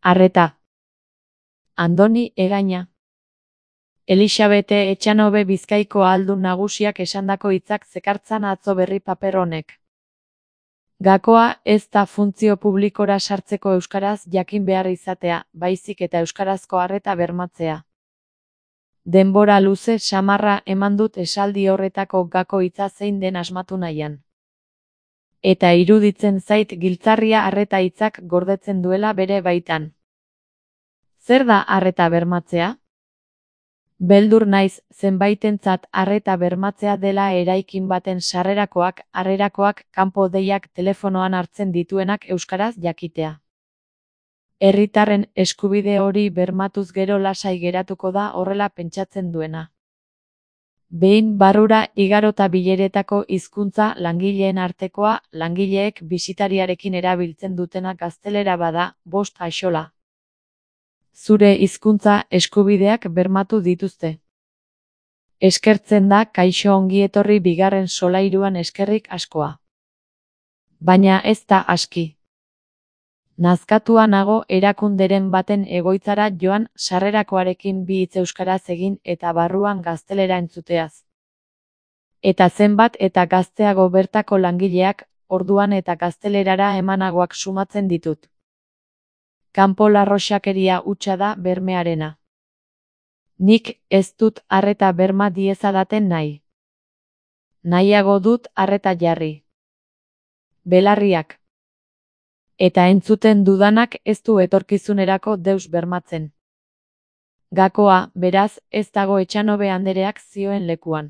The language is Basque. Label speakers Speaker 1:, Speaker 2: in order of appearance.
Speaker 1: Arreta. Andoni Egaña. Elixabete Etxanobe Bizkaiko ahaldun nagusiak esandako hitzak zekartzan atzo berri paper honek. Gakoa ez da funtzio publikora sartzeko euskaraz jakin behar izatea, baizik eta euskarazko arreta bermatzea. Denbora luze samarra eman dut esaldi horretako gako hitza zein den asmatu nahian. Eta iruditzen zait giltzarria arreta hitzak gordetzen duela bere baitan. Zer da arreta bermatzea? Beldur naiz zenbaitentzat arreta bermatzea dela eraikin baten sarrerakoak, harrerakoak, kanpo deiak telefonoan hartzen dituenak euskaraz jakitea. Herritarren eskubide hori bermatuz gero lasai geratuko da horrela pentsatzen duena. Behin barrura igarota bileretako hizkuntza langileen artekoa, langileek bisitariarekin erabiltzen dutena gaztelera bada, 5 axola. Zure hizkuntza eskubideak bermatu dituzte. Eskertzen da kaixo ongietorri bigarren solairuan eskerrik askoa. Baina ez da aski. Nazkatua nago erakunderen baten egoitzara joan sarrerakoarekin bi hitz euskaraz egin eta barruan gaztelera entzuteaz. Eta zenbat eta gazteago bertako langileak, orduan eta gaztelerara emanagoak sumatzen ditut. Kanpo larroxakeria hutsa da bermearena. Nik ez dut arreta berma diezadaten nahi. Nahiago dut arreta jarri. Belarriak. Eta entzuten dudanak ez du etorkizunerako deus bermatzen. Gakoa, beraz, ez dago Etxanobe andereak zioen lekuan.